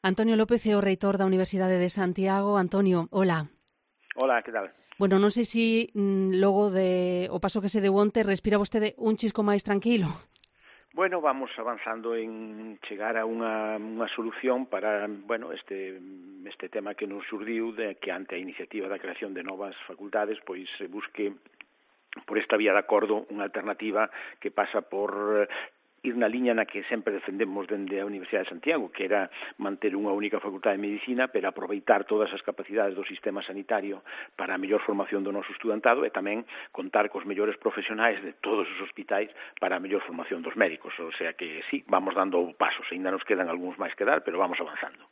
Antonio López é o reitor da Universidade de Santiago. Antonio, hola. Hola, que tal? Bueno, non sei se logo o paso que se deu onte respira vostede un chisco máis tranquilo. Bueno, vamos avanzando en chegar a unha solución para, este tema que nos xurdiu de que ante a iniciativa da creación de novas facultades, pois se busque por esta vía de acordo unha alternativa que pasa por ir na liña na que sempre defendemos dende a Universidade de Santiago, que era manter unha única facultade de medicina, pero aproveitar todas as capacidades do sistema sanitario para a mellor formación do noso estudantado e tamén contar cos mellores profesionais de todos os hospitais para a mellor formación dos médicos. O sea que sí, vamos dando pasos, ainda nos quedan algúns máis que dar, pero vamos avanzando.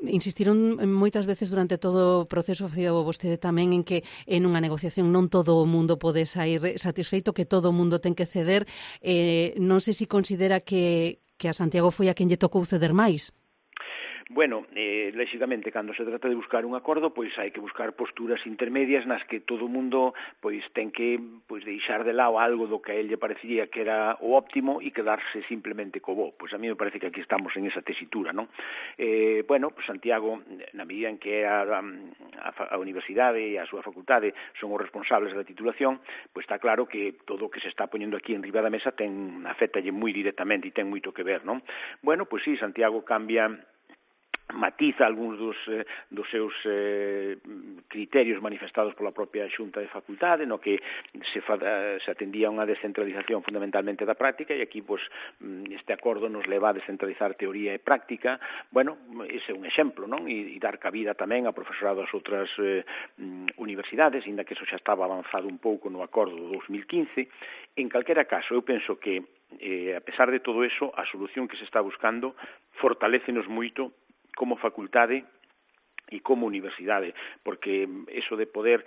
Insistiron moitas veces durante todo o proceso, facía vostede tamén, en que en unha negociación non todo o mundo pode sair satisfeito, que todo o mundo ten que ceder. Non sei se considera que a Santiago foi a quen lle tocou ceder máis. Bueno, lóxicamente, cando se trata de buscar un acordo, pois hai que buscar posturas intermedias nas que todo o mundo pois ten que deixar de lado algo do que a él lle parecería que era o óptimo e quedarse simplemente co bo. Pois a mí me parece que aquí estamos en esa tesitura, non? Santiago, na medida en que a universidade e a súa facultade son os responsables da titulación, pois está claro que todo o que se está poñendo aquí en riba da mesa afectalle moi directamente e ten moito que ver, non? Bueno, pois sí, Santiago matiza algúns dos seus criterios manifestados pola propia Xunta de Facultade, no que se atendía a unha descentralización fundamentalmente da práctica, e aquí este acordo nos leva a descentralizar teoría e práctica. Bueno, ese é un exemplo, non? E dar cabida tamén a profesorado das outras universidades, inda que eso xa estaba avanzado un pouco no acordo do 2015. En calquera caso, eu penso que, a pesar de todo eso, a solución que se está buscando fortalécenos moito como facultade e como universidade, porque eso de poder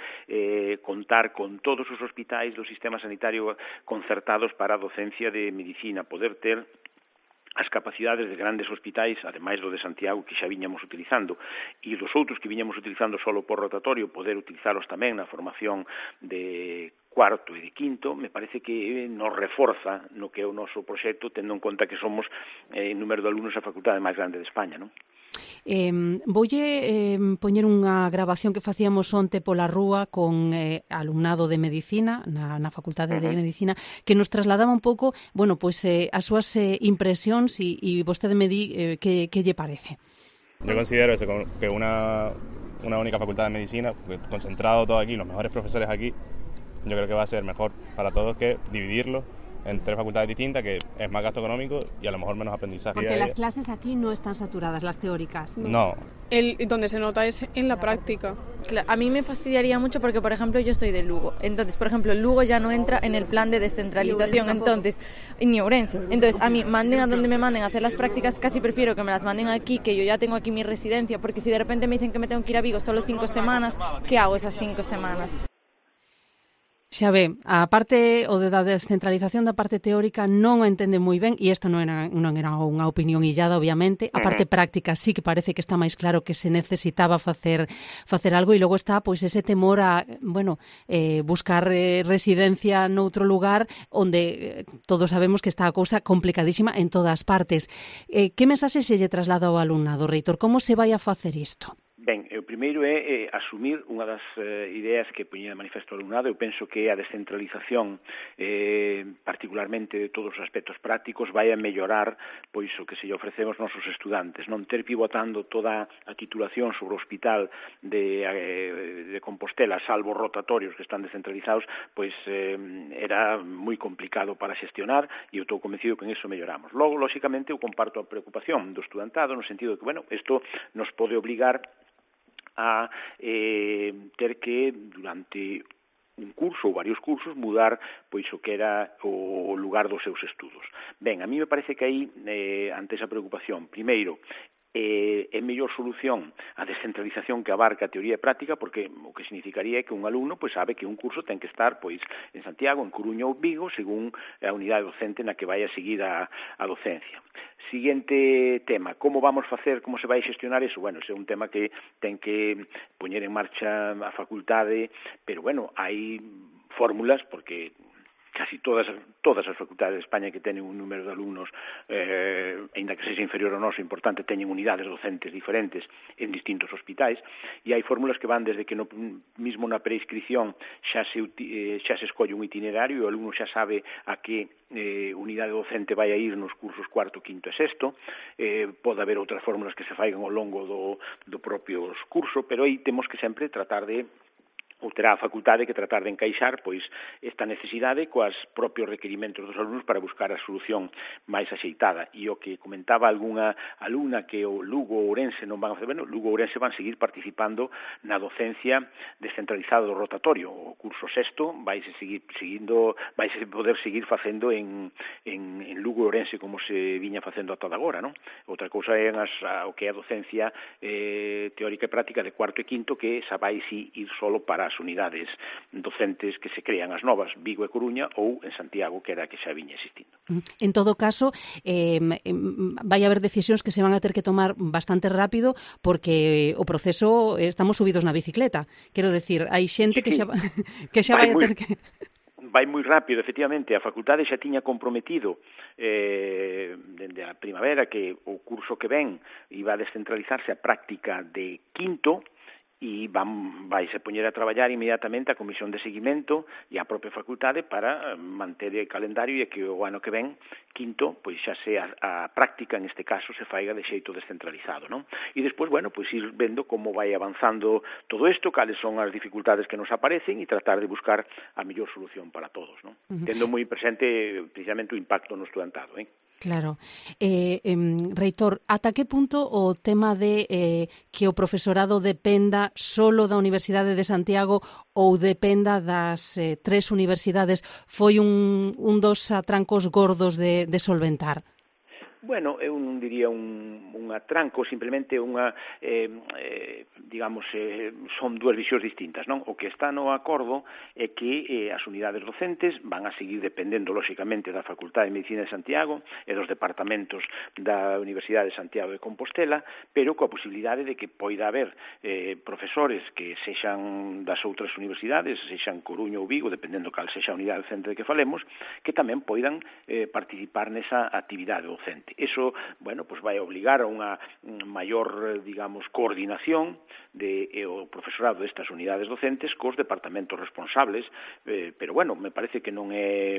contar con todos os hospitais do sistema sanitario concertados para a docencia de medicina, poder ter as capacidades de grandes hospitais, ademais do de Santiago, que xa viñamos utilizando, e dos outros que viñamos utilizando solo por rotatorio, poder utilizalos tamén na formación de cuarto e de quinto, me parece que nos reforza no que é o noso proxecto, tendo en conta que somos en número de alumnos a facultade máis grande de España, non? Voulle poñer unha grabación que facíamos onte pola rúa con alumnado de Medicina na Facultade de Medicina, que nos trasladaba un pouco, as súas impresións e vostede me di que lle parece. Yo considero eso, que una única facultad de medicina, concentrado todo aquí, los mejores profesores aquí, yo creo que va a ser mejor para todos que dividirlo en 3 facultades distintas, que es más gasto económico y a lo mejor menos aprendizaje. Porque las clases aquí no están saturadas, las teóricas. No. Donde se nota es en la práctica. Claro, a mí me fastidiaría mucho porque, por ejemplo, yo soy de Lugo. Entonces, por ejemplo, Lugo ya no entra en el plan de descentralización. Entonces, ni Ourense. Entonces, a mí, manden a donde me manden a hacer las prácticas, casi prefiero que me las manden aquí, que yo ya tengo aquí mi residencia, porque si de repente me dicen que me tengo que ir a Vigo solo 5 semanas, ¿qué hago esas 5 semanas? Xa ve, a parte da descentralización da parte teórica non o entende moi ben, e isto non era unha opinión illada, obviamente. A parte práctica sí que parece que está máis claro que se necesitaba facer algo, e logo está ese temor a, buscar residencia noutro lugar onde todos sabemos que está a cousa complicadísima en todas partes. Que mensaxe se lle traslada ao alumnado, reitor? Como se vai a facer isto? Ben, o primeiro é asumir unha das ideas que poñía de manifesto o alumnado. Eu penso que a descentralización, particularmente de todos os aspectos prácticos, vai a mellorar pois o que se lle ofrecemos aos nosos estudantes. Non ter pivotando toda a titulación sobre o hospital de Compostela, salvo rotatorios que están descentralizados, pois era moi complicado para xestionar, e eu estou convencido que en eso melloramos. Logo, lóxicamente, eu comparto a preocupación do estudantado no sentido de que, isto nos pode obrigar a ter que, durante un curso ou varios cursos, mudar pois o que era o lugar dos seus estudos. Ben, a mí me parece que aí, ante esa preocupación, primeiro, é mellor solución a descentralización que abarca a teoría e práctica, porque o que significaría é que un alumno sabe que un curso ten que estar en Santiago, en Coruña ou Vigo, según a unidade docente na que vai a seguir a docencia. Siguiente tema, como vamos facer, como se vai xestionar eso? Ese é un tema que ten que poñer en marcha a facultade, pero hai fórmulas, porque casi todas as facultades de España que teñen un número de alumnos, aínda que sexa inferior ao noso, importante, teñen unidades docentes diferentes en distintos hospitais, e hai fórmulas que van desde que mismo na preinscripción xa se escolle un itinerario e o alumno xa sabe a que unidade docente vai a ir nos cursos cuarto, quinto e sexto. Pode haber outras fórmulas que se faigan ao longo do propio curso, pero aí temos que sempre tratar de ou terá a facultade que tratar de encaixar pois esta necesidade coas propios requerimentos dos alumnos para buscar a solución máis axeitada. E o que comentaba algunha alumna que o Lugo ou Ourense non van a facer, Lugo ou Ourense van seguir participando na docencia descentralizada do rotatorio. O curso sexto vaise poder seguir facendo en Lugo ou Ourense como se viña facendo ata agora, non? Outra cousa é o que é a docencia teórica e práctica de cuarto e quinto, que esa vai ir solo para as unidades docentes que se crean as novas, Vigo e Coruña, ou en Santiago, que era a que xa viña existindo. En todo caso, vai haber decisións que se van a ter que tomar bastante rápido, porque o proceso, estamos subidos na bicicleta. Quero decir, hai xente que xa vai a ter que... Vai moi rápido, efectivamente. A facultade xa tiña comprometido dende a primavera que o curso que ven iba a descentralizarse a práctica de quinto, e vaise poñer a traballar inmediatamente a Comisión de Seguimento e a propia facultade para manter o calendario e que o ano que ven, quinto, pois xa sea a práctica, neste caso, se faiga de xeito descentralizado, non? E despois, pois ir vendo como vai avanzando todo isto, cales son as dificultades que nos aparecen e tratar de buscar a mellor solución para todos, non? Tendo moi presente precisamente o impacto no estudantado, Claro. Reitor, ata que punto o tema de que o profesorado dependa solo da Universidade de Santiago ou dependa das tres universidades foi un dos atrancos gordos de solventar? Bueno, eu non diría un atranco, simplemente unha, son dúas visións distintas, non? O que está no acordo é que as unidades docentes van a seguir dependendo, lóxicamente, da Facultade de Medicina de Santiago e dos departamentos da Universidade de Santiago de Compostela, pero coa posibilidade de que poida haber profesores que sexan das outras universidades, sexan Coruña ou Vigo, dependendo cal sexa a unidade docente de que falemos, que tamén poidan participar nesa actividade docente. Eso, pues vai obligar a unha maior, coordinación o profesorado destas unidades docentes cos departamentos responsables, pero, me parece que non é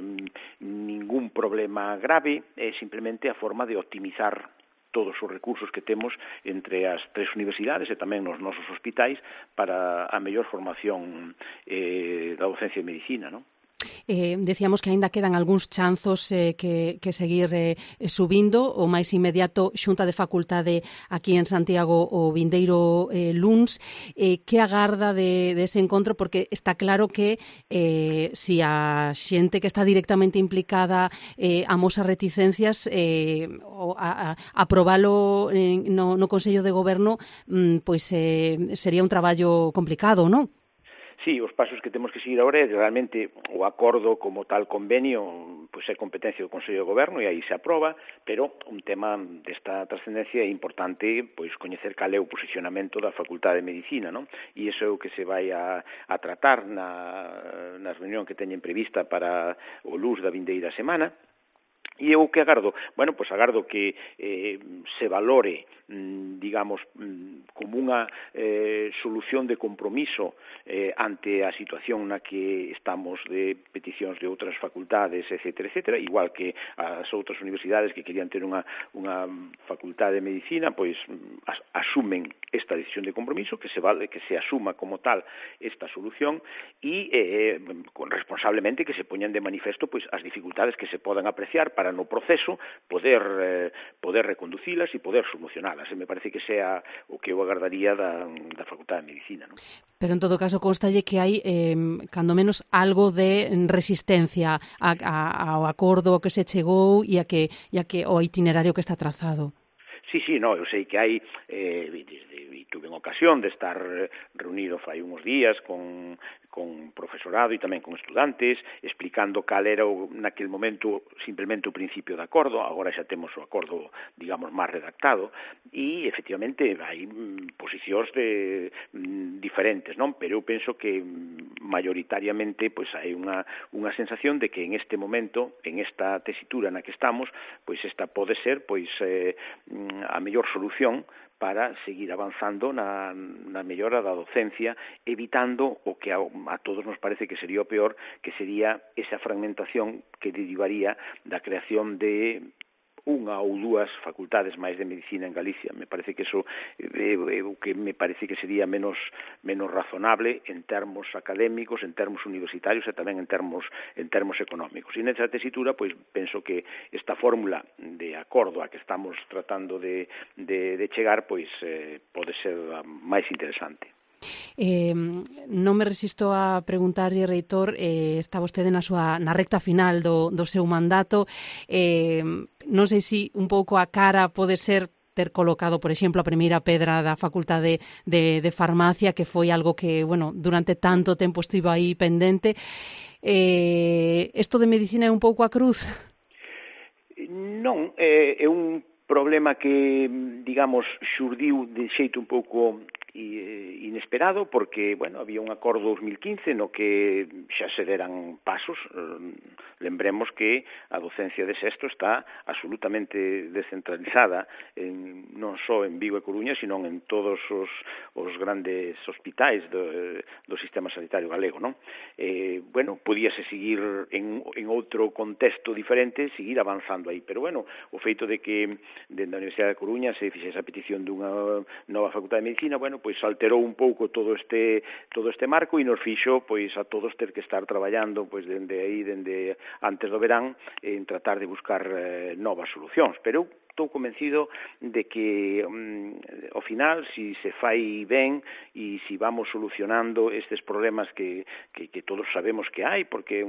ningún problema grave, é simplemente a forma de optimizar todos os recursos que temos entre as tres universidades e tamén nos nosos hospitais para a mellor formación da docencia de medicina, non? Decíamos que aínda quedan algúns chanzos que seguir subindo. O máis inmediato, Xunta de Facultade aquí en Santiago o vindeiro luns. Que agarda dese encontro? Porque está claro que si a xente que está directamente implicada amosa reticencias, aprobalo no Consello de Goberno pois sería un traballo complicado, non? Sí, os pasos que temos que seguir agora é realmente o acordo como tal convenio, pois é competencia do Consello de Goberno e aí se aproba, pero un tema desta trascendencia é importante pois coñecer cal é o posicionamento da Facultade de Medicina, non? E iso é o que se vai a tratar na reunión que teñen prevista para o luns da vindeira semana. E eu que agardo? Pois agardo que se valore, como unha solución de compromiso ante a situación na que estamos de peticións de outras facultades, etcétera, igual que as outras universidades que querían ter unha facultade de medicina, pois asumen esta decisión de compromiso, que se asuma como tal esta solución e responsablemente que se poñan de manifesto pois as dificultades que se podan apreciar para no proceso poder reconducilas e poder solucionalas. Me parece que sea o que eu agardaría da Facultade de Medicina, non? Pero en todo caso constalle que hai cando menos algo de resistencia ao acordo que se chegou e a que o itinerario que está trazado. Sí, eu sei que hai, tuve ocasión de estar reunido fai uns días con con profesorado e tamén con estudantes, explicando cal era naquele momento simplemente o principio de acordo. Agora xa temos o acordo, digamos, máis redactado, e efectivamente hai posicións diferentes, non? Pero eu penso que mayoritariamente pois hai unha sensación de que en este momento, en esta tesitura na que estamos, pois esta pode ser pois a mellor solución para seguir avanzando na mellora da docencia, evitando o que a todos nos parece que sería o peor, que sería esa fragmentación que derivaría da creación de unha ou dúas facultades máis de medicina en Galicia. Me parece que eso o que me parece que sería menos razonable en termos académicos, en termos universitarios e tamén en termos económicos. E nesa tesitura, pois, penso que esta fórmula de acordo a que estamos tratando de chegar, pois, pode ser a máis interesante. Non me resisto a preguntarlle, reitor, está vostede na recta final do seu mandato, non sei se un pouco a cara pode ser ter colocado, por exemplo, a primeira pedra da Facultade de Farmacia, que foi algo que, bueno, durante tanto tempo estivo aí pendente. Isto de medicina é un pouco a cruz? Non, é un problema que, digamos, xurdiu de xeito un pouco inesperado, porque, bueno, había un acordo 2015 no que xa se deran pasos. Lembremos que a docencia de sexto está absolutamente descentralizada, non só en Vigo e Coruña, sino en todos os grandes hospitais do sistema sanitario galego, non? Bueno, podíase seguir en outro contexto diferente, seguir avanzando aí, pero, bueno, o feito de que dende a Universidade de Coruña se fixese a petición dunha nova facultade de medicina, bueno, pois alterou un pouco todo este marco e nos fixo pois a todos ter que estar traballando pois dende antes do verán en tratar de buscar novas solucións, pero estou convencido de que ao final, se se fai ben e se vamos solucionando estes problemas que todos sabemos que hai, porque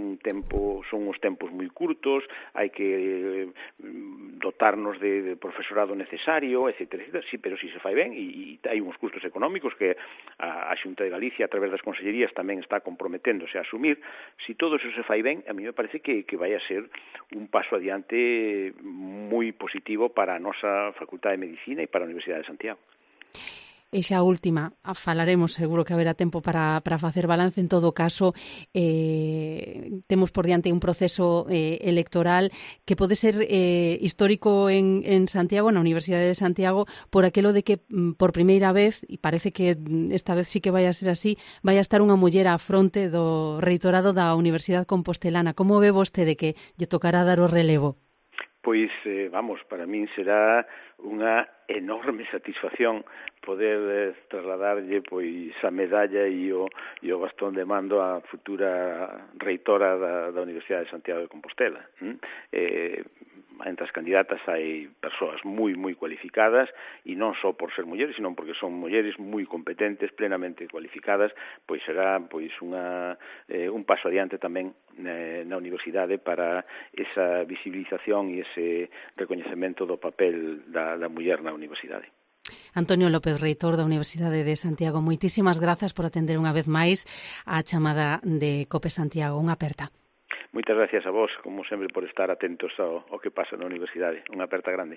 son uns tempos moi curtos, hai que dotarnos de profesorado necesario, etc. Sí, pero se se fai ben, e hai uns custos económicos que a Xunta de Galicia, a través das consellerías, tamén está comprometéndose a asumir. Se todo eso se fai ben, a mí me parece que vai a ser un paso adiante moi positivo para a nosa Facultade de Medicina e para a Universidade de Santiago. E xa a última, falaremos, seguro que haberá tempo para facer balance. En todo caso, temos por diante un proceso electoral que pode ser histórico en Santiago, na Universidade de Santiago, por aquilo de que por primeira vez, e parece que esta vez sí que vai a ser así, vai a estar unha muller á fronte do reitorado da Universidade Compostelana. Como ve vostede que lle tocará dar o relevo? Pois, vamos, para min será unha enorme satisfacción poder trasladarlle pois a medalla e o bastón de mando á futura reitora da Universidade de Santiago de Compostela. Entre as candidatas hai persoas moi cualificadas, e non só por ser mulleres, sino porque son mulleres moi competentes, plenamente cualificadas, pois será pois un paso adiante tamén na universidade para esa visibilización e ese recoñecemento do papel da muller na universidade. Antonio López, reitor da Universidade de Santiago, moitísimas grazas por atender unha vez máis a chamada de COPE Santiago. Unha aperta. Moitas gracias a vos, como sempre, por estar atentos ao que pasa na universidade. Unha aperta grande.